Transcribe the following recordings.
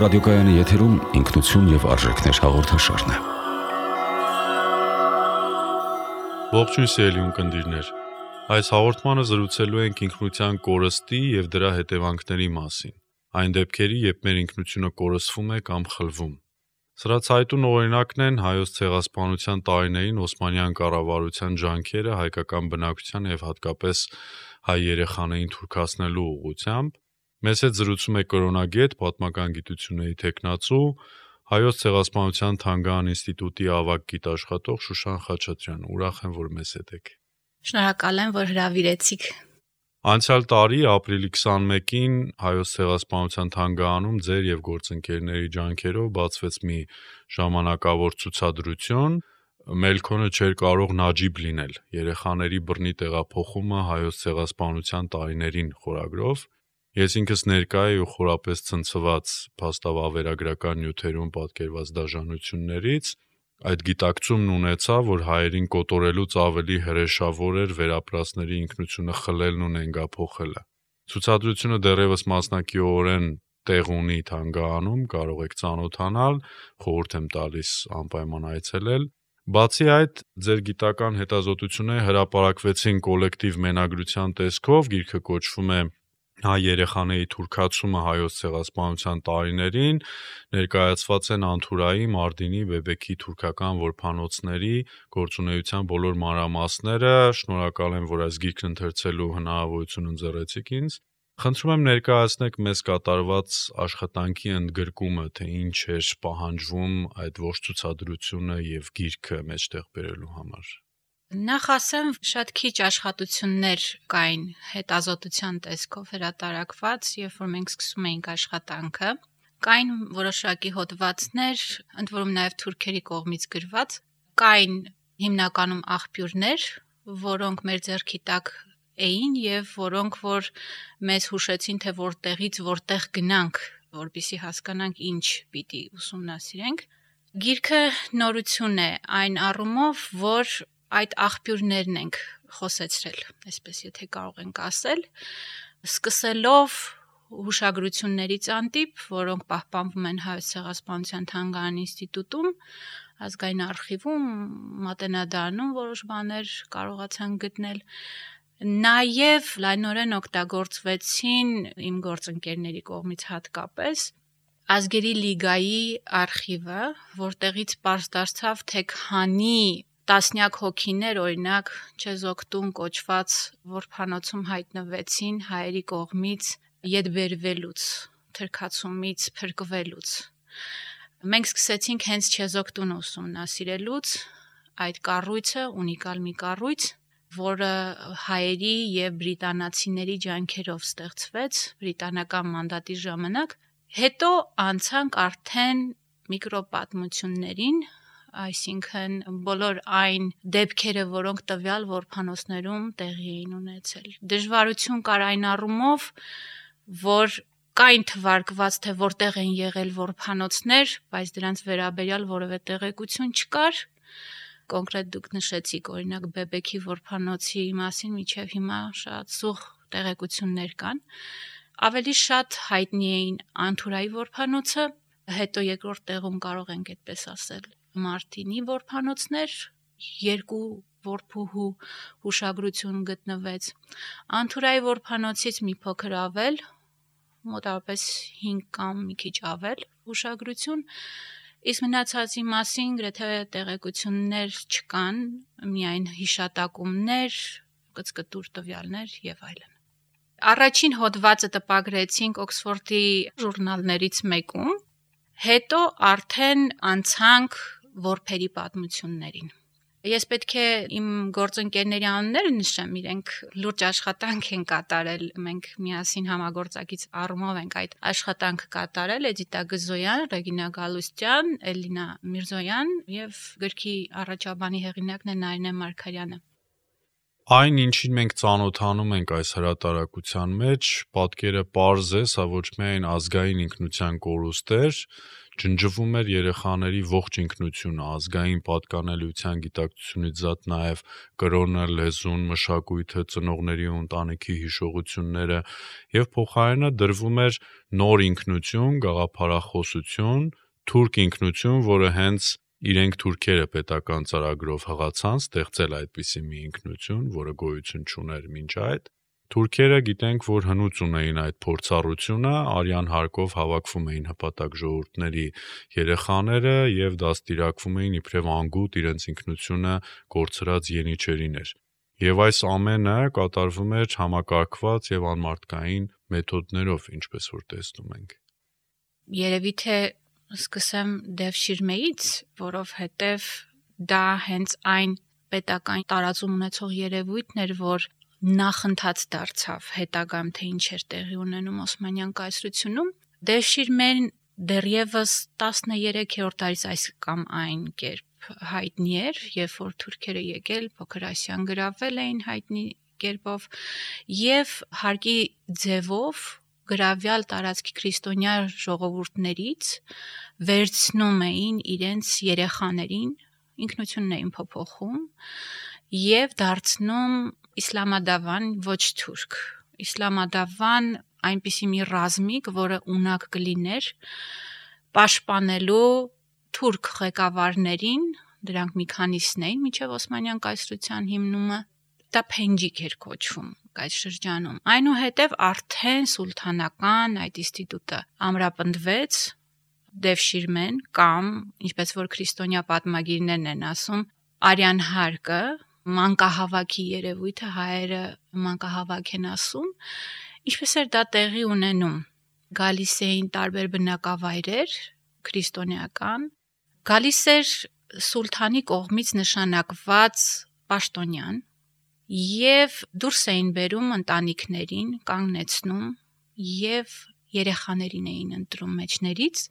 ռադիոկայանի եթերում ինքնություն եւ արժեքներ հաղորդաշարն է։ Ողջույն սիրելի ունկնդիրներ։ Այս հաղորդմանը զրուցելու ենք ինքնության կորստի եւ դրա հետևանքների մասին։ Այն դեպքերի, երբ մեր ինքնությունը կորսվում է կամ խլվում։ Սրա ցայտուն օրինակն են հայոց ցեղասպանության տարիներին Օսմանյան կառավարության ջանքերը հայկական բնակչության եւ հատկապես հայ երեխաներին թուրքացնելու ուղղությամբ։ Մեզ հետ զրուցում է կրոնագետ, պատմական գիտությունների թեկնածու, Հայոց ցեղասպանության թանգարան ինստիտուտի ավագ գիտաշխատող Շուշան Խաչատրյան։ Ուրախ եմ, որ մեզ հետ եք։ Շնորհակալ եմ, որ հրավիրեցիք։ Անցյալ տարի ապրիլի 21-ին Հայոց ցեղասպանության թանգարանում ձեր եւ գործընկերների ջանքերով բացվեց մի ժամանակավոր ցուցադրություն։ Մելքոնը չէր կարող նաջիբ լինել երեխաների բռնի տեղափոխումը Հայոց ցեղասպանության տարիներին խորագրով։ Ես ինքս ներկա էի ու խորապես ցնցված փաստավավերագրական նյութերում պատկերված դաժանություններից, այդ գիտակցումն ունեցա, որ հայերին կոտորելուց ավելի հրեշավոր էր վերապրածների ինքնությունը խլելն ու նենգափոխելը։ Ցուցադրությունը դեռևս մասնակիորեն տեղ ունի թանգարանում, կարող եք ծանոթանալ, խորհուրդ եմ տալիս անպայման այցելել։ Բացի այդ, ձեր գիտական հետազոտությունները հրապարակվեցին կոլեկտիվ մենագրության տեսքով, գիրքը կոչվում է Հայ երեխաների թուրքացումը հայոց ցեղասպանության տարիներին, ներկայացված են Անթուրայի, Մարտինի, Բեբեկի թուրքական որբանոցների գործունեության բոլոր մանրամասները։ Շնորհակալ եմ, որ այս գիրքն ընթերցելու հնարավորություն ընձեռեցիք ինձ։ Խնդրում եմ ներկայացնեք մեզ կատարված աշխատանքի ընդգրկումը, թե ինչ էր պահանջվում այդ ողջ ցուցադրությունը եւ գիրքը մեջտեղ բերելու համար։ Նախ ասեմ, շատ քիչ աշխատություններ կային հետազոտության տեսքով հրատարակված, երբ որ մենք սկսում էինք աշխատանքը։ Կային որոշակի հոդվածներ, ընդ որում նաև թուրքերի կողմից գրված, կային հիմնականում աղբյուրներ, որոնք մեր ձեռքի տակ էին եւ որոնք որ մեզ հուշեցին, թե որտեղից որտեղ գնանք, որպեսզի հասկանանք ինչ պիտի ուսումնասիրենք։ Գիրքը նորություն է այն առումով, որ այդ աղբյուրներն ենք խոսեցրել, այսպես եթե կարող ենք ասել, սկսելով հուշագրություններից անտիպ, որոնք պահպանվում են Հայոց ցեղասպանության թանգարան ինստիտուտում, ազգային արխիվում, մատենադարանում որոշ բաներ կարողացան գտնել, նաև լայնորեն օգտագործվեցին իմ գործընկերների կողմից հատկապես Ազգերի լիգայի արխիվը, որտեղից պարզ դարձավ, թե քանի տասնյակ հոգիներ, օրինակ, Չեզոքտուն կոչված որբանոցում հայտնվեցին հայերի կողմից ետբերվելուց, թրքացումից, փրկվելուց։ Մենք սկսեցինք հենց Չեզոքտուն ուսումնասիրելուց, այդ կառույցը, ունիկալ մի կառույց, որը հայերի եւ բրիտանացիների ջանքերով ստեղծվեց բրիտանական մանդատի ժամանակ, հետո անցանք արդեն միկրոպատմություններին, այսինքն բոլոր այն դեպքերը, որոնք տվյալ որբանոցներում տեղի էին ունեցել։ Դժվարություն կար այն առումով, որ կային թվարկված, թե որտեղ են եղել որբանոցներ, բայց դրանց վերաբերյալ որևէ տեղեկություն չկար։ Կոնկրետ դուք նշեցիք, օրինակ Բեբեկի որբանոցի մասին մինչև հիմա շատ սուղ տեղեկություններ կան։ Ավելի շատ հայտնի էին Անթուրայի որբանոցը, հետո երկրորդ տեղում կարող ենք այդպես ասել Մարտինի որբանոցներ, երկու որբուհու հուշագրություն գտնվեց։ Անթուրայի որբանոցից մի փոքր ավել, մոտավորապես 5 կամ մի քիչ ավել հուշագրություն, իսկ մնացածի մասին գրեթե տեղեկություններ չկան, միայն հիշատակումներ, կծկտուր տվյալներ եւ այլն։ Առաջին հոդվածը տպագրեցինք Օքսֆորդի ժուրնալներից մեկում, հետո արդեն անցանք որբերի պատմություններին։ Ես պետք է իմ գործընկերների անունները նշեմ, իրենք լուրջ աշխատանք են կատարել, մենք միասին համագործակից առումով ենք այդ աշխատանքը կատարել, Էդիտա Գզոյան, Ռեգինա Գալուստյան, Էլինա Միրզոյան եւ գրքի առաջաբանի հեղինակն է Նարինե Մարգարյանը։ Այն, ինչին մենք ծանոթանում ենք այս հրատարակության մեջ, պատկերը պարզ է, սա ոչ միայն ազգային ինքնության կորուստ էր, ջնջվում էր երեխաների ողջ ինքնությունը, ազգային պատկանելիության գիտակցությունից զատ նաև կրոնը, լեզուն, մշակույթը, ծնողների ու ընտանիքի հիշողությունները եւ փոխարենը դրվում էր նոր ինքնություն, գաղափարախոսություն, թուրք ինքնություն, որը հենց իրենք թուրքերը պետական ծրագրով հղացան ստեղծել այդպիսի մի ինքնություն, որը գոյություն չուներ մինչ այդ։ Թուրքերը գիտենք, որ հնուց ունեին այդ փորձառությունը, արյան հարկով հավաքվում էին հպատակ ժողովուրդների երեխաները եւ դաստիարակվում էին իբրև անգութ իրենց ինքնությունը կորցրած յենիչերիներ։ Եվ այս ամենը կատարվում էր համակարգված եւ անմարդկային մեթոդներով, ինչպես որ տեսնում ենք։ Երևի թե սկսեմ Դևշիրմեից, որովհետև դա հենց այն պետական տարածում ունեցող երևույթն էր, որ նախընթաց դարձավ հետագայում թե ինչ էր տեղի ունենում Օսմանյան կայսրությունում։ Դևշիրմեն դեռևս 13-րդ դարից այս կամ այն կերպ հայտնի էր, երբ որ թուրքերը եկել Փոքր Ասիան գրավել էին հայտնի կերպով եւ հարկի ձևով գրավյալ տարածքի քրիստոնյա ժողովուրդներից վերցնում էին իրենց երեխաներին, ինքնությունն էին փոփոխում եւ դարձնում իսլամադավան ոչ թուրք։ Իսլամադավան այնպիսի մի ռազմիկ, որը ունակ կլիներ պաշտպանելու թուրք ղեկավարներին, դրանք մի քանիսն էին մինչև Օսմանյան կայսրության հիմնումը, դա փենջիկ էր կոչվում այդ շրջանում։ Այնուհետև արդեն սուլթանական այդ ինստիտուտը ամրապնդվեց Դևշիրմեն կամ, ինչպես որ քրիստոնյա պատմագիրներն են ասում, արյան հարկը, մանկահավաքի երևույթը, հայերը մանկահավաք են ասում, ինչպես էր դա տեղի ունենում։ Գալիս էին տարբեր բնակավայրեր, քրիստոնեական, գալիս էր սուլթանի կողմից նշանակված պաշտոնյան եւ դուրս էին բերում ընտանիքներին, կանգնեցնում եւ երեխաներին էին ընտրում մեջներից։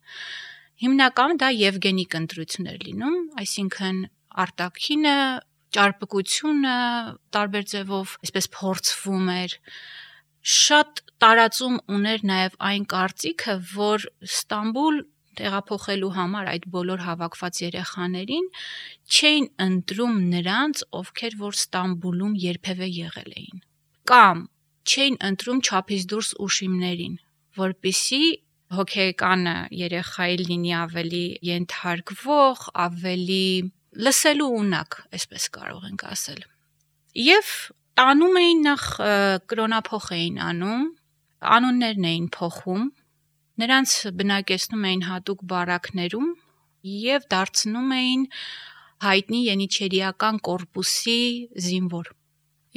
Հիմնականում դա եվգենիկ ընտրություն էր լինում, այսինքն արտաքինը, ճարպկությունը տարբեր ձևով այսպես փորձվում էր։ Շատ տարածում ուներ նաև այն կարծիքը, որ Ստամբուլ տեղափոխելու համար այդ բոլոր հավաքված երեխաներին չէին ընտրում նրանց, ովքեր որ Ստամբուլում երբևէ եղել էին, կամ չէին ընտրում չափից դուրս ուշիմներին, որպեսզի հոգեկանը երեխայի լինի ավելի ենթարկվող, ավելի լսելու ունակ, այսպես կարող ենք ասել։ Եվ տանում էին նախ կրոնափոխ էին անում, անուններն էին փոխում, նրանց բնակեցնում էին հատուկ բարակներում եւ դարձնում էին հայտնի յենիչերիական կորպուսի զինվոր։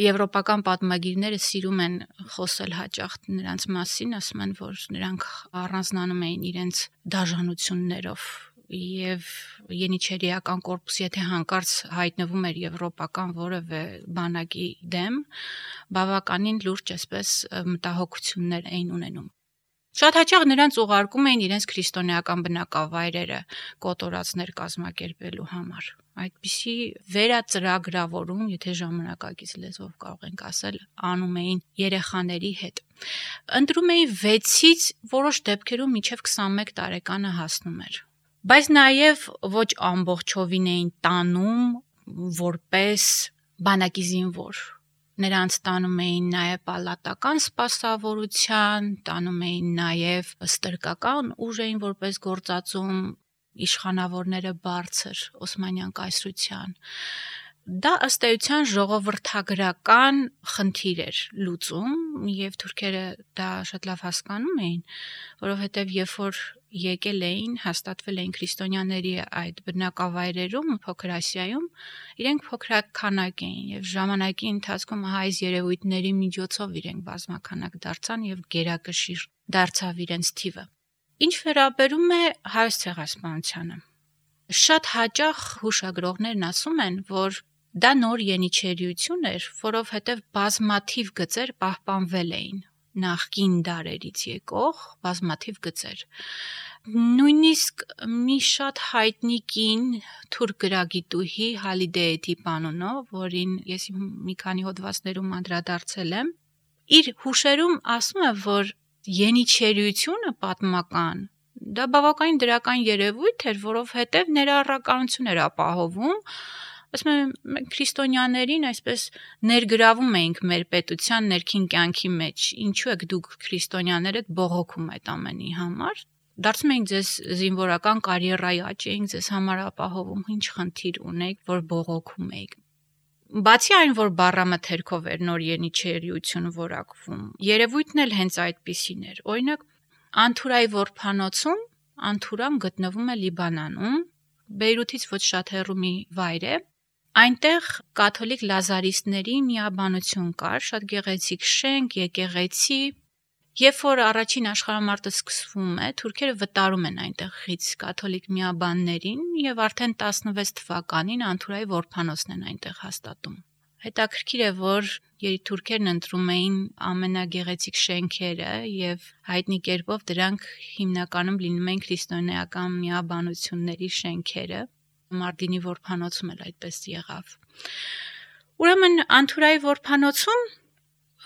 Եվրոպական պատմագիրները սիրում են խոսել հաճախ նրանց մասին, ասում են, որ նրանք առանձնանում էին իրենց դաժանություններով եւ յենիչերիական կորպուսի եթե հանկարծ հայտնվում էր եվրոպական որևէ բանակի դեմ, բավականին լուրջ այսպես մտահոգություններ էին ունենում։ Շատ հաճախ նրանց ուղարկում էին իրենց քրիստոնեական բնակավայրերը կոտորածներ կազմակերպելու համար։ Այդպիսի վերածրագրավորում, եթե ժամանակակից լեզվով կարող ենք ասել, անում էին երեխաների հետ։ Ընտրում էին 6-ից որոշ դեպքերում մինչև 21 տարեկանը հասնում էր։ Բայց նաև ոչ ամբողջովին էին տանում որպես բանակի զինվոր։ Նրանց տանում էին նաև պալատական սպասավորության, տանում էին նաև ստրկական ուժ էին որպես գործածում իշխանավորները բարձր Օսմանյան կայսրության։ Դա ըստ էության ժողովրդագրական խնդիր էր լուծում եւ թուրքերը դա շատ լավ հասկանում էին, որովհետեւ երբ որ եկել էին, հաստատվել էին քրիստոնյաների այդ բնակավայրերում, Փոքր Ասիայում, իրենք փոքրաքանակ էին եւ ժամանակի ընթացքում այս երևույթների միջոցով իրենք բազմաքանակ դարձան եւ գերակշիռ դարձավ իրենց թիվը։ Ինչ վերաբերում է հայոց ցեղասպանությանը, շատ հաճախ հուշագրողներն ասում են, որ դա նոր յենիչերիություն էր, որովհետև բազմաթիվ գծեր պահպանվել էին նախկին դարերից եկող բազմաթիվ գծեր։ Նույնիսկ Նույնիսկ մի շատ հայտնի կին թուրք գրագիտուհի Հալիդե Էդիպ անունով, որին ես մի քանի հոդվածներում անդրադարձել եմ, իր հուշերում ասում է, որ յենիչերությունը պատմական դա բավականին դրական երևույթ էր, որովհետև ներառականություն էր ապահովում, ասում եմ, մենք քրիստոնյաներին այսպես ներգրավում էինք մեր պետության ներքին կյանքի մեջ, ինչու եք դուք քրիստոնյաները բողոքում այդ ամենի համար, դարձում էինք ձեզ զինվորական կարիերայի աճ էինք ձեզ համար ապահովում, ինչ խնդիր ունեիք, որ բողոքում էիք։ Բացի այն, որ բառամթերքով էր նոր յենիչերությունը որակվում, երևույթն էլ հենց այդպիսին էր։ Օրինակ, Անթուրայի որբանոցում, Անթուրան գտնվում է Լիբանանում, Բեյրութից ոչ շատ հեռու մի վայր է։ Այնտեղ կաթոլիկ լազարիստների միաբանություն կար, շատ գեղեցիկ շենք, եկեղեցի։ Երբ որ առաջին աշխարհամարտը սկսվում է, թուրքերը վտարում են այնտեղից կաթոլիկ միաբաններին եւ արդեն 16 թվականին Անթուրայի որբանոցն են այնտեղ հաստատում։ Հետաքրքիր է, որ թուրքերն ընտրում էին ամենագեղեցիկ շենքերը եւ հայտնի կերպով դրանք հիմնականում լինում էին քրիստոնեական միաբանությունների շենքերը։ Մարտինի որբանոցում էլ այդպես եղավ։ Ուրեմն Անթուրայի որբանոցում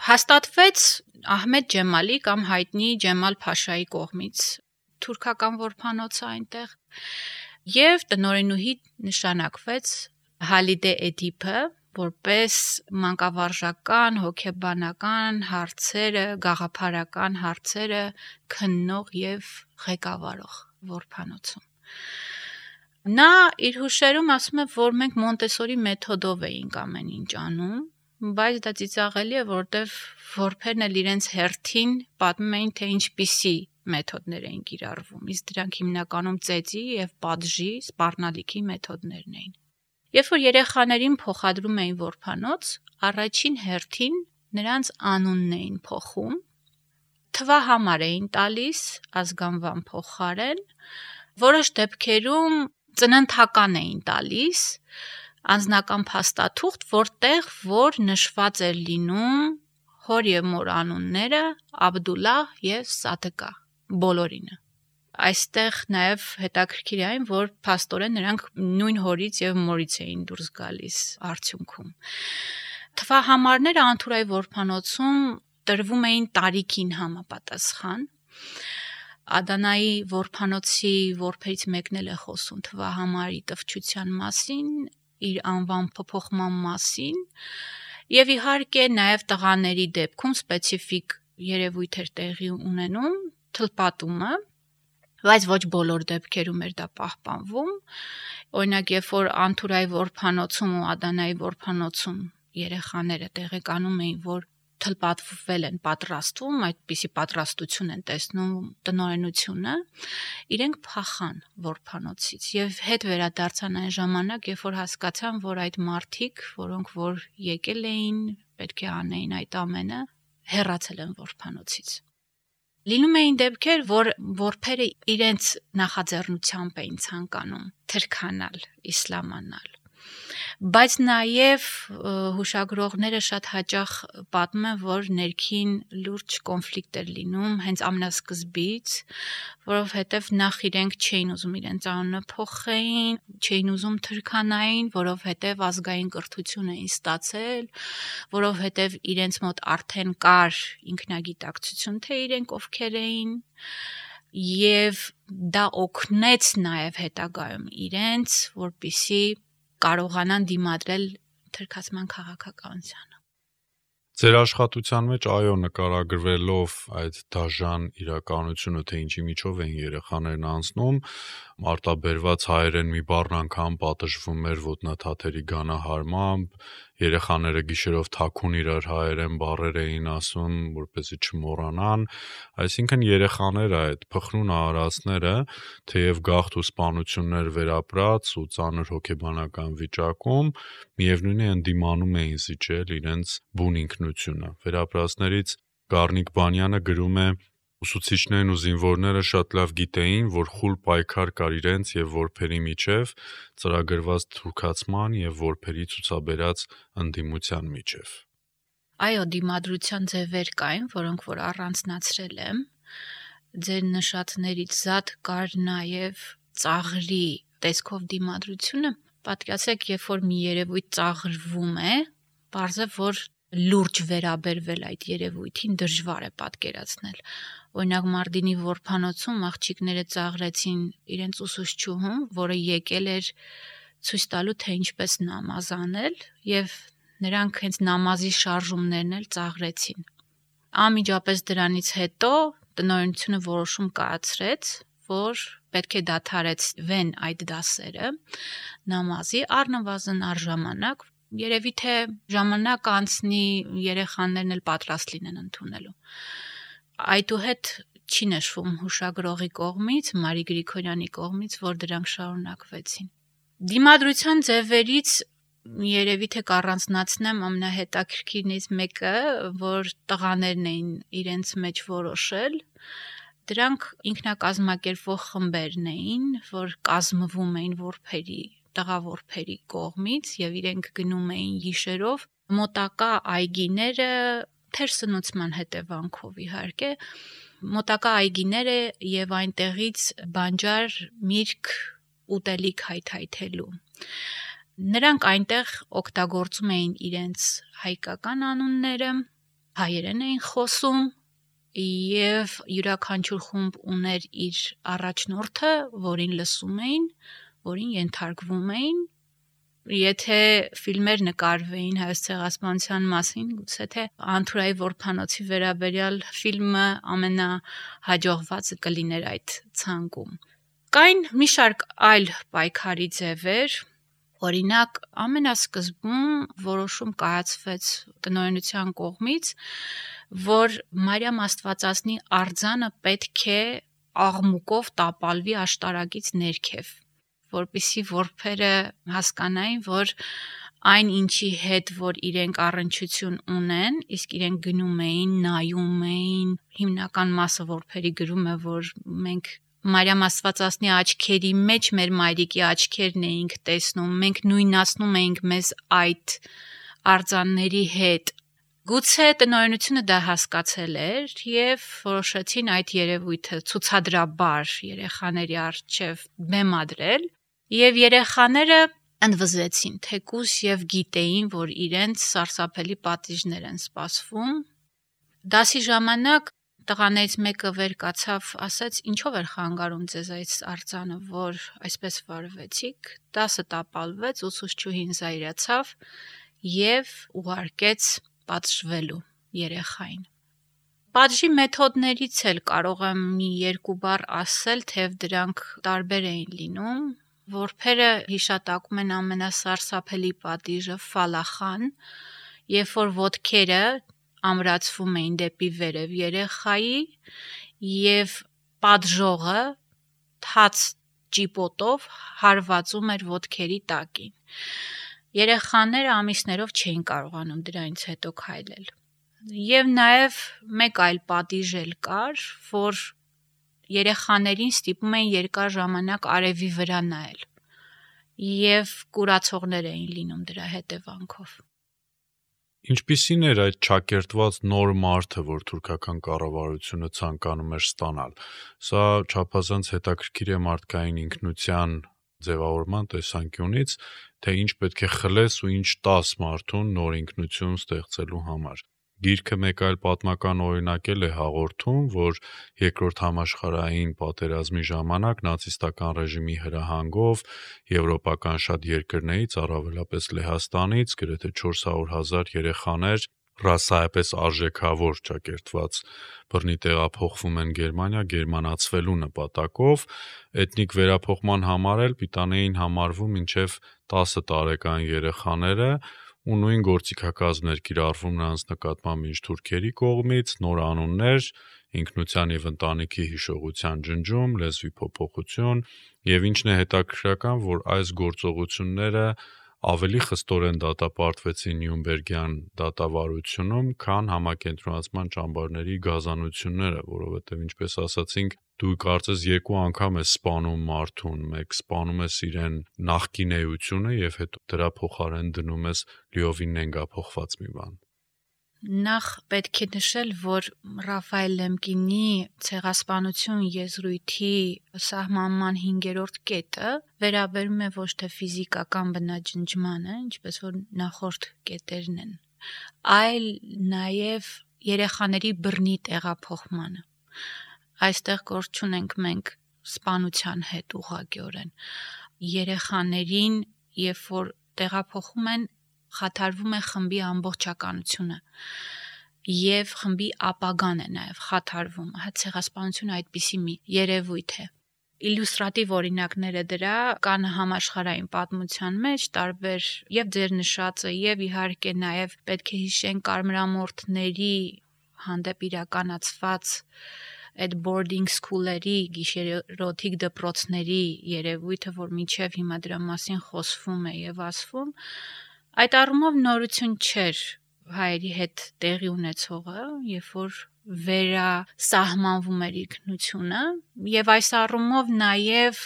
հաստատվեց Ահմեդ Ջեմալի կամ հայտնի Ջեմալ Փաշայի կողմից թուրքական որբանոցը այնտեղ եւ տնօրենուհի նշանակվեց Հալիդե Էդիպը որպես մանկավարժական, հոգեբանական հարցերը, գաղափարական հարցերը քննող եւ ղեկավարող որբանոցում։ Նա իր հուշերում ասում է, որ մենք Մոնտեսորի մեթոդով էինք ամեն ինչ անում, բայց դա ծիծաղելի է, որովհետև որբերն էլ իրենց հերթին պատմում էին, թե ինչպիսի մեթոդներ էին կիրառվում, իսկ դրանք հիմնականում ծեծի եւ պատժի, սպառնալիքի մեթոդներն էին։ Երբ որ երեխաներին փոխադրում էին որբանոց, առաջին հերթին նրանց անունն էին փոխում, թվահամար էին տալիս ազգանվան փոխարեն, որոշ դեպքերում ծննդական էին տալիս անձնական փաստաթուղթ, որտեղ որ նշված էր լինում հոր եւ մոր անունները Աբդուլլահ եւ Սադկա, բոլորինը։ Այստեղ նաև հետաքրքիր է այն, որ փաստորեն նրանք նույն հորից եւ մորից էին դուրս գալիս արդյունքում։ Թվահամարները Անթուրայի որբանոցում տրվում էին տարիքին համապատասխան։ Ադանայի որբանոցի որբերից մեկն էլ է խոսում թվահամարի տվչության մասին, իր անվան փոփոխման մասին, եւ իհարկե նաև տղաների դեպքում սպეციფიկ երևույթ էր տեղի ունենում թլպատումը, բայց ոչ բոլոր դեպքերում էր դա պահպանվում։ Օրինակ, երբ որ Անթուրայի որբանոցում ու Ադանայի որբանոցում երեխաները տեղեկանում էին, որ թլպատվել են, պատրաստվում, այդպիսի պատրաստություն են տեսնում տնօրենությունը, իրենք փախան որբանոցից եւ հետ վերադարձան այն ժամանակ, երբ որ հասկացան, որ այդ մարդիկ, որոնք որ եկել էին, պետք է անեին այդ ամենը, հեռացել են որբանոցից։ Լինում էին դեպքեր, որ որբերը իրենց նախաձեռնությամբ էին ցանկանում թրքանալ, իսլամանալ։ Բայց նաև հուշագրողները շատ հաճախ պատմում են, որ ներքին լուրջ կոնֆլիկտ էր լինում հենց ամենասկզբից, որովհետև նախ իրենք չէին ուզում իրենց անունը փոխեին, չէին ուզում թրքանային, որովհետև ազգային կրթություն էին ստացել, որովհետև իրենց մոտ արդեն կար ինքնագիտակցություն, թե իրենք ովքեր էին, եւ դա օգնեց նաև հետագայում իրենց, որպիսի կարողանան դիմադրել թրքացման քաղաքականությանը։ Ձեր աշխատության մեջ այո նկարագրվելով այդ դաժան իրականությունը, թե ինչի միջով են երեխաներն անցնում, արտաբերված հայերեն մի բառ անգամ պատժվում էր ոտնաթաթերի գանահարմամբ, երեխաները գիշերով թաքուն իրար հայերեն բառեր էին ասում, որպեսզի չմոռանան, այսինքն երեխաները այդ փխրուն արարածները, թեև գաղթ ու սպանություններ վերապրած ու ծանր հոգեբանական վիճակում, միևնույն է ընդդիմանում էին զիջել իրենց բուն ինքնությունը։ Վերապրածներից Գառնիկ Բանյանը գրում է. Ուսուցիչներն ու զինվորները շատ լավ գիտեին, որ խուլ պայքար կար իրենց եւ որբերի միջև, ծրագրված թուրքացման եւ որբերի ցուցաբերած ընդդիմության միջև։ Այո, դիմադրության ձևեր կային, որոնք որ առանձնացրել եմ։ ձեր նշածներից զատ կար նաև ծաղրի տեսքով դիմադրությունը, պատկերացրեք, երբ որ մի երևույթ ծաղրվում է, պարզ է, որ լուրջ վերաբերվել այդ երևույթին դժվար է պատկերացնել։ Օրինակ Մարտինի որբանոցում աղջիկները ծաղրեցին իրենց ուսուցչուհուն, որը եկել էր ցույց տալու, թե ինչպես նամազ անել, եւ նրանք հենց նամազի շարժումներն էլ ծաղրեցին։ Անմիջապես դրանից հետո տնօրինությունը որոշում կայացրեց, որ պետք է դադարեցվեն այդ դասերը նամազի առնվազն առժամանակ, երևի թե ժամանակ անցնի, երեխաներն էլ պատրաստ լինեն ընդունելու։ Այդուհետ չի նշվում հուշագրողի կողմից, Մարի Գրիգորյանի կողմից, որ դրանք շարունակվեցին։ Դիմադրության ձևերից երևի թե կառանձնացնեմ ամենահետաքրքիրներից մեկը, որ տղաներն էին իրենց մեջ որոշել, դրանք ինքնակազմակերպվող խմբերն էին, որ կազմվում էին տղավորբերի կողմից եւ իրենք գնում էին գիշերով մոտակա այգիները թերսնուցման հետևանքով իհարկե, մոտակա այգիները եւ այնտեղից բանջար, միրգ, ուտելիք հայթայթելու։ Նրանք այնտեղ օգտագործում էին իրենց հայկական անունները, հայերեն էին խոսում եւ յուրաքանչյուր խումբ ուներ իր առաջնորդը, որին լսում էին, որին ենթարկվում էին։ Եթե ֆիլմեր նկարվեին Հայոց ցեղասպանության մասին, գուցե թե Անթուրայի որբանոցի վերաբերյալ ֆիլմը ամենահաջողվածը կլիներ այդ ցանկում։ Կային մի շարք այլ պայքարի ձևեր, օրինակ ամենասկզբում որոշում կայացվեց տնօրինության կողմից, որ Մարիամ Աստվածածնի արձանը պետք է աղմուկով տապալվի աշտարակից ներքև, որպեսզի որբերը հասկանային, որ այն ինչի հետ, որ իրենք առնչություն ունեն, իսկ իրենք գնում էին, նայում էին, հիմնական մասը որբերի գրում է, որ մենք Մարիամ Աստվածածնի աչքերի մեջ մեր մայրիկի աչքերն էինք տեսնում, մենք նույնացնում էինք մեզ այդ արձանների հետ։ Գուցե տնօրինությունը դա հասկացել էր եւ որոշեցին այդ երևույթը ցուցադրաբար երեխաների առջև բեմադրել եւ երեխաները ընդվզեցին, թեկուզ եւ գիտեին, որ իրենց սարսափելի պատիժներ են սպասվում։ Դասի ժամանակ տղաներից մեկը վեր կացավ, ասաց. «Ինչով էր խանգարում ձեզ այս արձանը, որ այսպես վարվեցիք»։ Դասը տապալվեց, ուսուցչուհին զայրացավ եւ ուղարկեց պատժվելու երեխային։ Պատժի մեթոդներից էլ կարող եմ մի երկու բառ ասել, թեև դրանք տարբեր էին լինում։ Որբերը հիշատակում են ամենասարսափելի պատիժը ֆալախան, երբ որ ոտքերը ամրացվում էին դեպի վերև երեխայի եւ պատժողը թաց ճիպոտով հարվածում էր ոտքերի տակին։ Երեխաները ամիսներով չէին կարողանում դրանից հետո քայլել։ Եվ նաև մեկ այլ պատիժ էլ կար, որ երեխաներին ստիպում էին երկար ժամանակ արևի վրա նայել եւ կուրացողներ էին լինում դրա հետևանքով։ Ինչպիսին էր այդ ճակերտված նոր մարդը, որ թուրքական կառավարությունը ցանկանում էր ստանալ։ Սա չափազանց հետաքրքիր է մարդկային ինքնության ձևավորման տեսանկյունից, թե ինչ պետք է խլես ու ինչ տաս մարդուն նոր ինքնություն ստեղծելու համար։ Գիրքը մեկ այլ պատմական օրինակ է հաղորդում, որ երկրորդ համաշխարհային պատերազմի ժամանակ նացիստական ռեժիմի հրահանգով եվրոպական շատ երկրներից, առավելապես Լեհաստանից, գրեթե 400,000 երեխաներ ռասայապես արժեքավոր ճակերտված բռնի տեղափոխվում են Գերմանիա գերմանացվելու նպատակով, էթնիկ վերափոխման համար էլ պիտանի էին համարվում մինչև 10 տարեկան երեխաները ու նույն գործիքակազմներ կիրառվում նրանց նկատմամբ ինչ թուրքերի կողմից, նոր անուններ, ինքնության եւ ընտանիքի հիշողության ջնջում, լեզվի փոփոխություն եւ ինչն է հետաքրքրական, որ այս գործողությունները ավելի խստորեն դատապարտվեցին Նյուրնբերգյան դատավարությունում, քան համակենտրոնացման ճամբարների գազանությունները, որովհետև ինչպես ասացինք, դու կարծես երկու անգամ ես սպանում մարդուն, մեկ սպանում ես իրեն նախկին էությունը եւ հետո դրա փոխարեն դնում ես լիովին նենգափոխված մի բան։ Նախ պետք է նշել, որ Ռաֆայել Լեմկինի ցեղասպանություն եզրույթի սահմանման 5-րդ կետը վերաբերում է ոչ թե ֆիզիկական բնաջնջմանը, ինչպես որ նախորդ կետերն են, այլ նաև երեխաների բռնի տեղափոխմանը։ Այստեղ գործ չունենք մենք սպանության հետ ուղղակիորեն։ Երեխաներին, երբ որ տեղափոխում են, խաթարվում է խմբի ամբողջականությունը եւ խմբի ապագան է նաեւ խաթարվում։ Ցեղասպանությունը այդպիսի մի երևույթ է։ Իլյուստրատիվ օրինակները դրա կան համաշխարհային պատմության մեջ, տարբեր եւ ձեր նշածը եւ իհարկե նաեւ պետք է հիշեն կարմրամորթների հանդեպ իրականացված այդ boarding school-երի, գիշերօթիկ դպրոցների երևույթը, որ մինչև հիմա դրա մասին խոսվում է եւ ասվում, այդ առումով նորություն չէր հայերի հետ տեղի ունեցողը, երբ որ վերասահմանվում էր ինքնությունը, եւ այս առումով նաեւ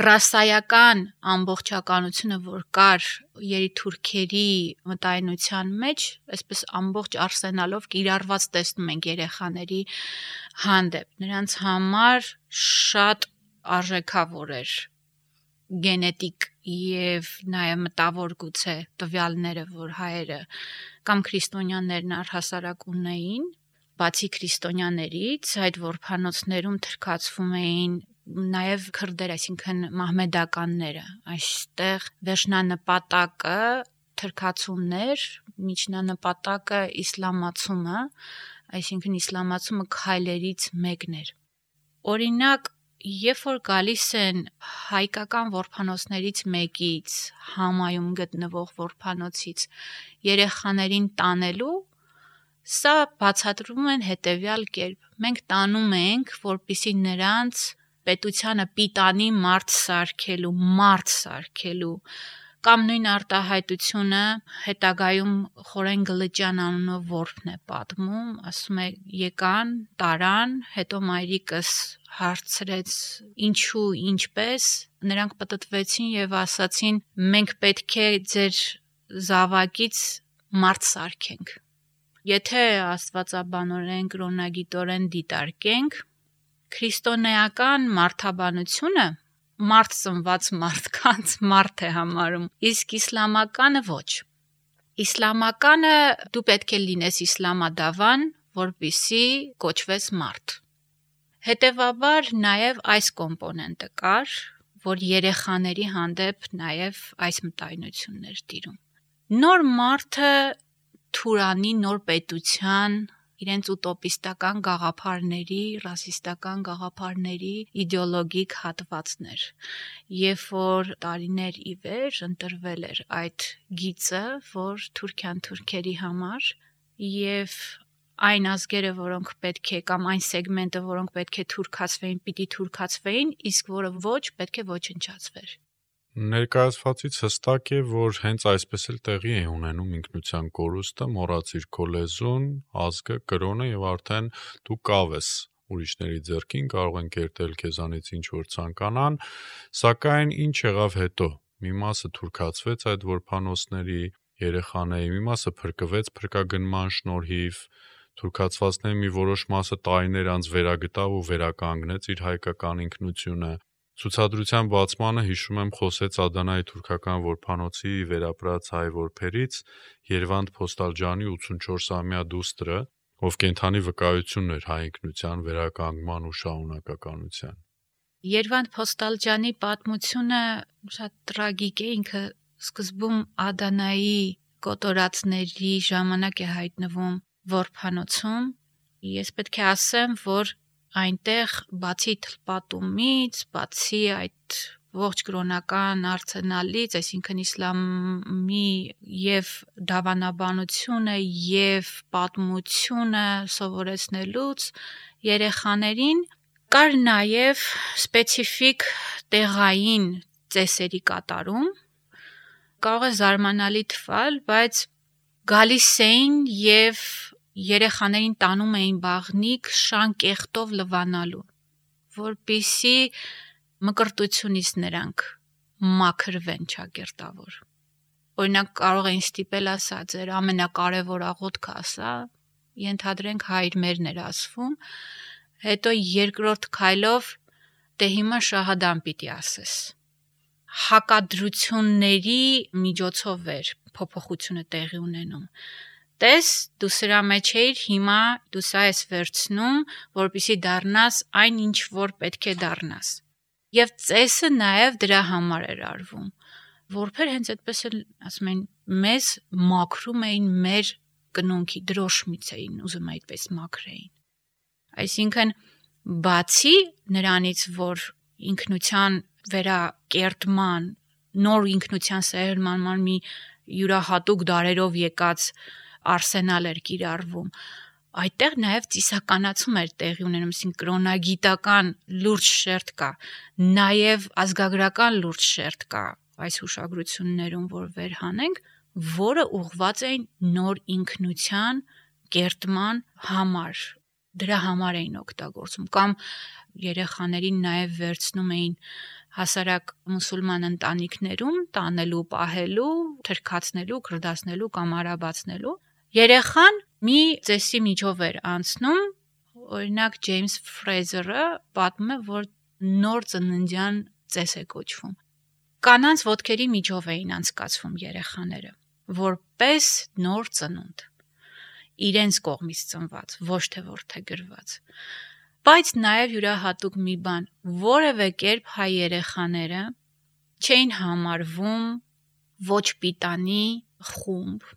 ռասայական ամբողջականությունը, որ կար երիտուրքերի մտայնության մեջ, այսպես ամբողջ արսենալով կիրառված տեսնում ենք երեխաների հանդեպ։ Նրանց համար շատ արժեքավոր էր գենետիկ եւ նաեւ մտավոր գուցե տվյալները, որ հայերը կամ քրիստոնյաներն առհասարակ ունեին, բացի քրիստոնյաներից, այդ որբանոցներում թրքացվում էին նաև քրդեր, այսինքն մահմեդականները, այստեղ վերջնանպատակը թրքացումներ, միջնանպատակը իսլամացումը, այսինքն իսլամացումը քայլերից մեկն էր։ Օրինակ, երբ որ գալիս են հայկական որբանոցներից մեկից, Համայում գտնվող որբանոցից երեխաներին տանելու, սա բացատրվում են հետևյալ կերպ. մենք տանում ենք, որպեսզի նրանց պետությանը պիտանի մարդ սարքելու, կամ նույն արտահայտությունը հետագայում Խորեն Գլրջյան անունով որբն է պատմում, ասում է եկան, տարան, հետո մայրիկս հարցրեց ինչու, ինչպես, նրանք պտտվեցին եւ ասացին մենք պետք է ձեր զավակից մարդ սարքենք։ Եթե աստվածաբանորեն, կրոնագիտորեն դիտարկենք, քրիստոնեական մարդաբանությունը մարդ ծնված մարդկանց մարդ է համարում, իսկ իսլամականը ոչ։ Իսլամականը դու պետք է լինես իսլամադավան, որպեսզի կոչվես մարդ։ Հետևաբար նաև այս կոմպոնենտը կար, որ երեխաների հանդեպ նաև այս մտայնություններ տիրում։ Նոր մարդը թուրանի, նոր պետության, իրենց ուտոպիստական գաղափարների, ռասիստական գաղափարների իդեոլոգիկ հատվածներ։ Երբ որ տարիներ ի վեր ընտրվել էր այդ գիծը, որ թուրքյան թուրքերի համար եւ այն ազգերը, որոնք պետք է կամ այն սեգմենտը, որոնք պետք է թուրքացվեին, պիտի թուրքացվեին, իսկ որը ոչ, պետք է ոչնչացվեր։ Ներկայացվածից հստակ է, որ հենց այսպես էլ տեղի է ունենում ինքնության կորուստը, մոռացիր քո լեզուն, ազգը, կրոնը եւ արդեն դու կավ ես ուրիշների ձեռքին, կարող են կերտել քեզանից ինչ որ ցանկանան, սակայն ինչ եղավ հետո։ Մի մասը թուրքացվեց այդ որբանոցների երեխաների, մի մասը փրկվեց փրկագնման շնորհիվ, թուրքացվածների մի որոշ մասը տարիներ անց վերագտավ ու վերականգնեց իր հայկական ինքնությունը։ Ցուցադրության բացմանը հիշում եմ խոսեց Ադանայի թուրքական որբանոցի վերապրած հայ որբերից Երվանդ Փոստալջանի 84-ամյա դուստրը, ով կենթանի վկայությունն էր հայ ինքնության վերականգնման ու շարունակականության։ Երվանդ Փոստալջանի պատմությունը շատ տրագիկ է, ինքը սկզբում Ադանայի կոտորածների ժամանակ է հայտնվում որբանոցում։ Ես պետք է ասեմ, որ այնտեղ բացի թլպատումից, բացի այդ ողջ կրոնական արցենալից, այսինքն իսլամի եւ դավանաբանությունը եւ պատմությունը սովորեցնելուց երեխաներին կար նաեւ սպეციფიկ տեղային ծեսերի կատարում, կարող է զարմանալի թվալ, բայց գալիս էին եւ երեխաներին տանում էին բաղնիք շան կեղտով լվանալու, որպեսզի մկրտությունից նրանք մաքրվեն ճակերտավոր։ օրինակ կարող էին ստիպել ասա, ձեր ամենակարևոր աղոթքը ասա, ենթադրենք հայր մերն էր ասվում, հետո երկրորդ քայլով դե հիմա շահադան պիտի ասես։ Հակադրությունների միջոցով էր փոփոխությունը տեղի ունենում։ Տես, դու սրա մեջ էիր, հիմա դու սա ես վերցնում, որպեսզի դառնաս այն, ինչ որ պետք է դառնաս։ Եվ ծեսը նաև դրա համար էր արվում։ Որբեր հենց այդպես էլ, ասում են, մեզ մաքրում էին մեր կնունքի դրոշմից էին, ուզում այդպես մաքրեին։ Այսինքն, բացի նրանից, որ ինքնության վերակերտման, նոր ինքնության սերմանման մի յուրահատուկ դարերով եկած արսենալ էր կիրառվում, այդտեղ նաև ծիսականացում էր տեղի ունենում, այսինքն կրոնագիտական լուրջ շերտ կա, նաև ազգագրական լուրջ շերտ կա այս հուշագրություններում, որ վերհանենք, որը ուղղված էին նոր ինքնության կերտման համար, դրա համար էին օգտագործում, կամ երեխաներին նաև վերցնում էին հասարակ մուսուլման ընտանիքներում տանելու, պահելու, թրքացնելու, քրդացնելու կամ արաբացնելու։ Երեխան մի ծեսի միջով էր անցնում, օրինակ Ջեյմս Ֆրեյզերը պատմում է, որ նոր ծննդյան ծես է կոչվում։ Կանանց ոտքերի միջով էին անցկացվում երեխաները, որպես նոր ծնունդ, իրենց կողմից ծնված, ոչ թե որդեգրված։ Բայց նաև յուրահատուկ մի բան, որևէ կերպ հայ երեխաները չէին համարվում ոչ պիտանի խումբ,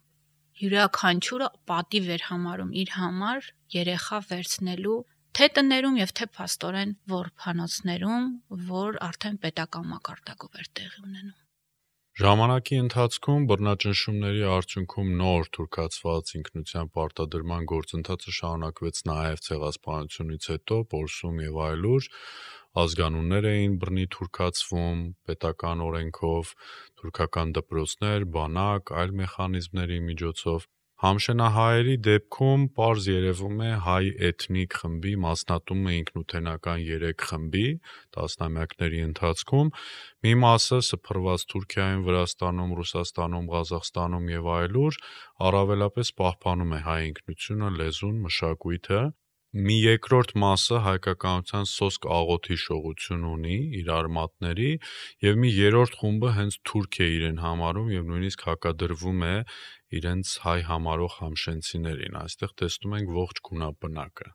յուրաքանչյուրը պատիվ էր համարում իր համար երեխա վերցնելու թե տներում և թե փաստորեն որբանոցներում, որ արդեն պետական մակարդակով էր տեղի ունենում։ Ժամանակի ընթացքում բռնաճնշումների արդյունքում նոր թուրքացված ինքնության պարտադրման գործընթացը շարունակվեց նաև ցեղասպանությունից հետո, Պոլսում եւ այլուր, ազգանուններ էին բռնի թուրքացվում պետական օրենքով, թուրքական դպրոցներ, բանակ, այլ մեխանիզմների միջոցով։ Համշենահայերի դեպքում պարզ երևում է հայ էթնիկ խմբի մասնատումը ինքնութենական 3 խմբի տասնամյակների ընթացքում, մի մասը սփռված Թուրքիայում, Վրաստանում, Ռուսաստանում, Ղազախստանում եւ այլուր առավելապես պահպանում է հայ ինքնությունը, լեզուն, մշակույթը, մի երկրորդ մասը հայկականության սոսկ աղոթի շողություն ունի իր արմատների եւ մի երրորդ խումբը հենց թուրք է իրեն համարում եւ նույնիսկ հակադրվում է իրենց հայ համարող համշենցիներին, այստեղ տեսնում ենք ողջ գունաբնակը։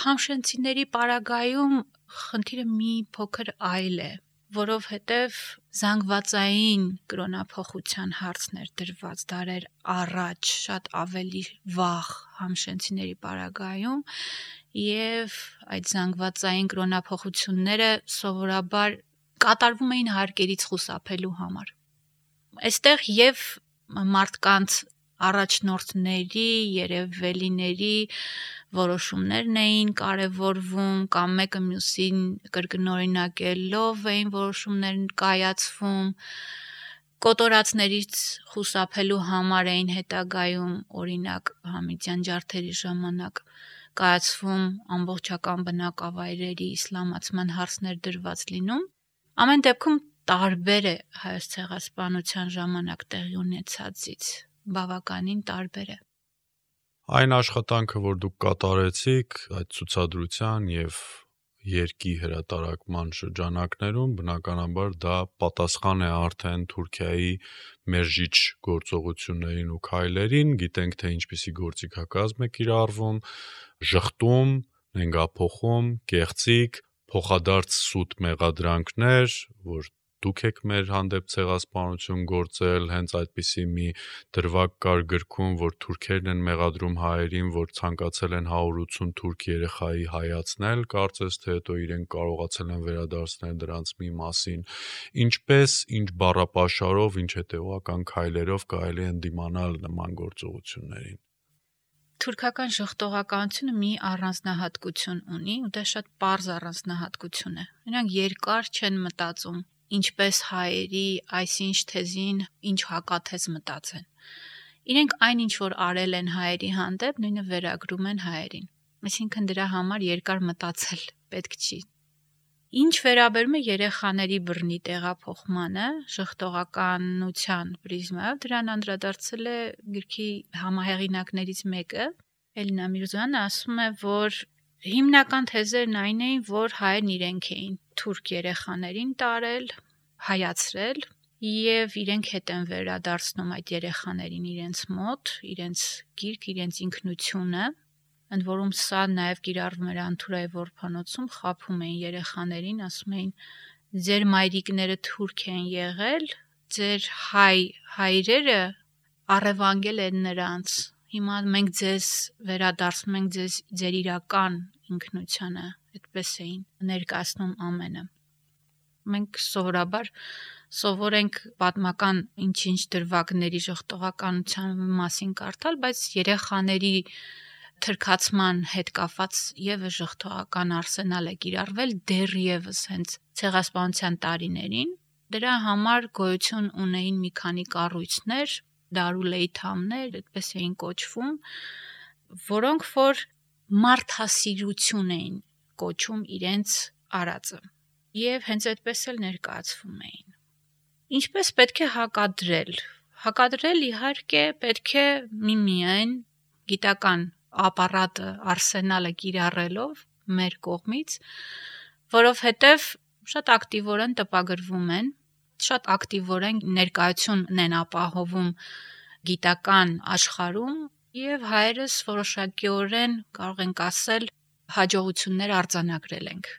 Համշենցիների պարագայում խնդիրը մի փոքր այլ է, որովհետև զանգվածային կրոնափոխության հարցն էր դրված դարեր առաջ, շատ ավելի վաղ համշենցիների պարագայում, եւ այդ զանգվածային կրոնափոխությունները սովորաբար կատարվում էին հարկերից խուսափելու համար։ Այստեղ եւ մարդկանց առաջնորդների, երևելիների որոշումներն էին կարևորվում կամ մեկը մյուսին կրկնօրինակելով էին որոշումներ կայացվում, կոտորածներից խուսափելու համար էին հետագայում, օրինակ Համիդյան ջարդերի ժամանակ կայացվում ամբողջական բնակավայրերի իսլամացման հարցներ դրված լինում։ Ամեն դեպքում տարբեր է հայոց ցեղասպանության ժամանակ տեղի ունեցածից, բավականին տարբեր է։ Այն աշխատանքը, որ դուք կատարեցիք այդ ցուցադրության եւ երկի հրատարակման շրջանակներում, բնականաբար դա պատասխան է արդեն Թուրքիայի մերժիչ գործողություններին ու քայլերին, գիտենք թե ինչպիսի գործիքակազմ է կիրառվում, ժխտում, նենգափոխում, կեղծիք, փոխադարձ սուտ մեղադրանքներ, որ դուք եք մեր հանդեպ ցեղասպանություն գործել, հենց այդպիսի մի դրվագ կար գրքում, որ թուրքերն են մեղադրում հայերին, որ ցանկացել են 180 թուրք երեխայի հայացնել, կարծես թե հետո իրենք կարողացել են վերադարձնել դրանց մի մասին, ինչպես, ինչ բառապաշարով, ինչ հետևողական քայլերով կարելի է ընդդիմանալ նման գործողություններին։ Թուրքական ժխտողականությունը մի առանձնահատկություն ունի, ու դա շատ պարզ առանձնահատկություն է։ Նրանք երկար չեն մտածում, ինչպես հայերի այսինչ թեզին ինչ հակաթեզ մտածեն։ Իրենք այն ինչ որ արել են հայերի հանդեպ, նույնը վերագրում են հայերին։ Այսինքն դրա համար երկար մտածել պետք չի։ Ինչ վերաբերում է երեխաների բռնի տեղափոխմանը, ժխտողականության պրիզմայով, դրան անդրադարձել է գրքի համահեղինակներից մեկը, Էլինա Միրզոյանը, ասում է, որ հիմնական թեզերն այն էին, որ հայերն իրենք էին թուրք երեխաներին տարել, հայացրել եւ իրենք հետ են վերադարձնում այդ երեխաներին իրենց մոտ, իրենց գիրք, իրենց ինքնությունը, ընդ որում սա նաև կիրառվում էր Անթուրայի որբանոցում, խաբում էին երեխաներին, ասում էին ձեր մայրիկները թուրք են եղել, ձեր հայրերը առևանգել են նրանց, հիմա մենք ձեզ վերադարձնում ենք ձեր իրական ինքնությանը, այդպես էին ներկայացնում ամենը։ Մենք սովորաբար սովորենք պատմական ինչ-ինչ դրվագների ժխտողականության մասին կարդալ, բայց երեխաների թրքացման հետ կապված եւս ժխտողական արսենալ է կիրառվել դեռևս հենց ցեղասպանության տարիներին։ Դրա համար գոյություն ունեին մի քանի կառույցներ, դարուլեյթամներ, այդպես էին կոչվում, որոնք որ մարդասիրություն էին կոչում իրենց արածը։ Եվ հենց այդպես էլ ներկայացվում էին։ Ինչպես պետք է հակադրել։ Հակադրել իհարկե պետք է միմիայն գիտական ապարատը, արսենալը կիրառելով մեր կողմից, որովհետև շատ ակտիվորեն տպագրվում են, շատ ակտիվորեն ներկայություն են ապահովում գիտական աշխարհում եւ հայերս որոշակիորեն կարող ենք ասել հաջողություններ արձանագրել ենք։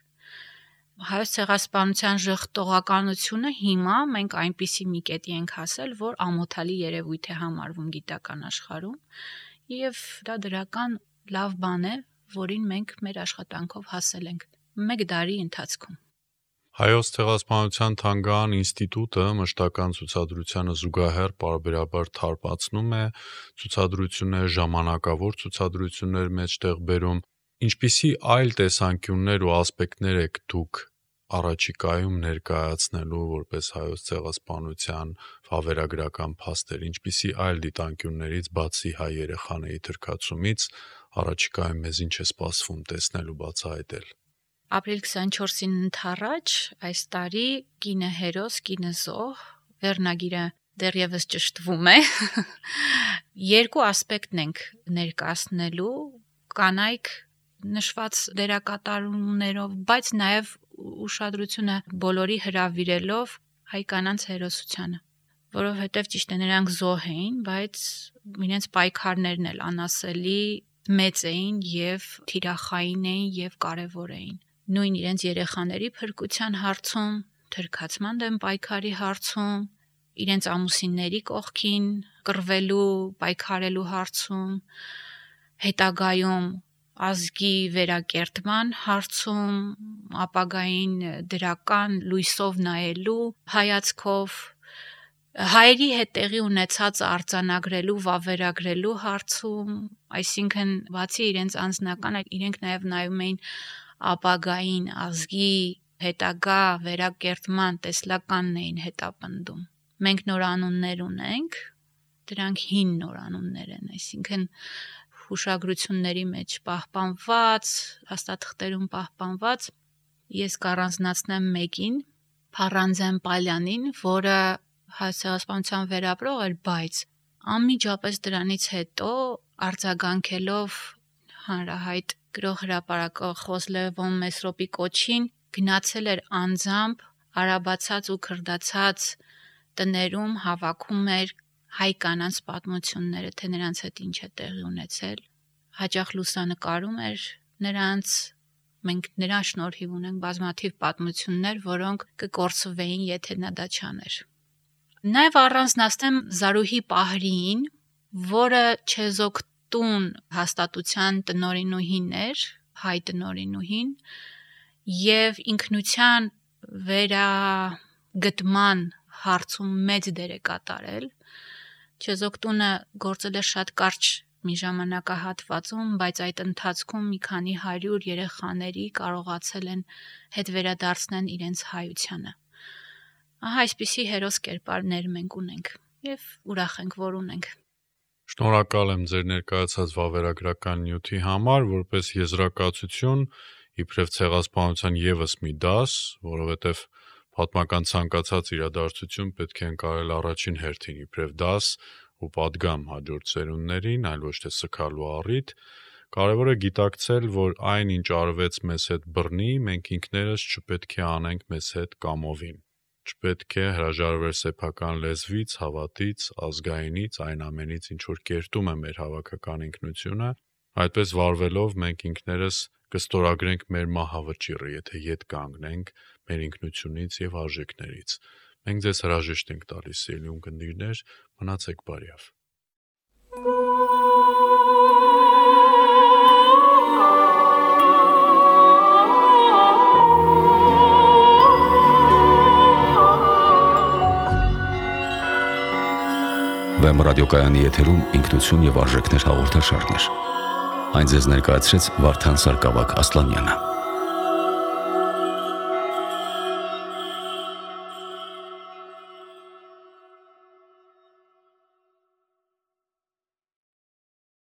Հայոց ցեղասպանության ժխտողականությունը հիմա մենք այնպիսի մի կետի ենք հասել, որ ամոթալի երևույթ է համարվում գիտական աշխարհում եւ դա դրական լավ բան է, որին մենք մեր աշխատանքով հասել ենք 1 դարի ընթացքում։ Հայոց ցեղասպանության թանգարան ինստիտուտը մշտական ցուցադրությանը զուգահեռ պարբերաբար թարմացնում է ցուցադրություններ, ժամանակավոր ցուցադրություններ մեջտեղ բերում։ Ինչպիսի այլ տեսանկյուններ ու ասպեկտներ եք դուք առաջիկայում ներկայացնելու որպես հայոց ցեղասպանության վավերագրական փաստեր, ինչպիսի այլ դիտանկյուններից բացի հայ երեխաների թրքացումից առաջիկայում մեզ ինչ է սպասվում տեսնել ու բացահայտել։ Ապրիլ 24-ին ընթառաջ այս տարի կինը հերոս, կինը զոհ վերնագիրը դեռևս ճշտվում է։ Երկու ասպեկտ ենք ներկայացնելու, կանայք նշված դերակատարումներով, բայց նաև ուշադրությունը բոլորի հրավիրելով հայ կանանց հերոսությանը, որովհետև ճիշտ է նրանք զոհ էին, բայց իրենց պայքարներն էլ անասելի մեծ էին եւ թիրախային էին եւ կարեւոր էին։ Նույն իրենց երեխաների փրկության հարցում, թրքացման դեմ պայքարի հարցում, իրենց ամուսինների կողքին կռվելու, պայքարելու հարցում, հետագայում ազգի վերակերտման հարցում, ապագային դրական լույսով նայելու հայացքով, հայերի հետ տեղի ունեցածը արձանագրելու, վավերագրելու հարցում, այսինքն բացի իրենց անձնական, իրենք նաև նայում էին ապագային ազգի հետագա վերակերտման տեսլականն էին հետապնդում։ Մենք նորանուններ ունենք, դրանք հին նորանուններ են, այսինքն հուշագրությունների մեջ պահպանված, հաստատղթերում պահպանված, ես կառանձնացնեմ մեկին, Փառանձեն Պալյանին, որը հայոց ցեղասպանության վերապրող էր, բայց անմիջապես դրանից հետո արձագանքելով հանրահայտ գրող հրապարակող Խոսլևոն Մեսրոպի կոչին գնացել էր անձամբ արաբացած ու քրդացած տներում հավաքում էր հայ կանանց պատմությունները, թե նրանց հետ ինչ է տեղի ունեցել, հաճախ լուսանկարում էր նրանց, մենք նրան շնորհիվ ունենք բազմաթիվ պատմություններ, որոնք կկորցվեին, եթե նա դա չաներ։ Նաև առանձնացնեմ Զարուհի Պահրիին, որը Չեզոքտուն հաստատության տնօրինուհին էր, հայ տնօրինուհին, եւ ինքնության վերագտման հարցում մեծ դեր է կատարել։ Չեզոքտունը գործել է շատ կարճ մի ժամանակահատվածում, բայց այդ ընթացքում մի քանի 100 երեխաների կարողացել են հետ վերադարձնել իրենց հայությանը։ Ահա այսպիսի հերոս կերպարներ մենք ունենք եւ ուրախ ենք, որ ունենք։ Շնորհակալ եմ ձեր ներկայացած վավերագրական նյութի համար, որպես եզրակացություն իբրև ցեղասպանության եւս մի դաս, որովհետեւ պատմական ցանկացած իրադարձություն պետք է ընկալել առաջին հերթին իբրև դաս ու պատգամ հաջորդ սերունդներին, այլ ոչ թե սգալու առիթ, կարևոր է գիտակցել, որ այն ինչ արվեց մեզ հետ բռնի, մենք ինքներս չպետք է անենք մեզ հետ կամովին։ Չպետք է հրաժարվել սեփական լեզվից, հավատից, ազգայինից, այն ամենից, ինչ որ կերտում է մեր հավաքական ինքնությունը, այդպես վարվելով մենք ինքներս կստորագրենք մեր մահավճիռը, եթե ետ կանգնենք մեր ինքնությունից եւ արժեքներից։ Մենք ձեզ հրաժեշտ ենք տալիս, սիրելի ունկնդիրներ, մնացեք բարյավ։ Վեմ ռադիոկայանի եթերում ինքնություն եւ արժեքներ հաղորդաշարներ։ Այն ձեզ ներկայացրեց Վարդան Սարգսակյան Ասլանյանը։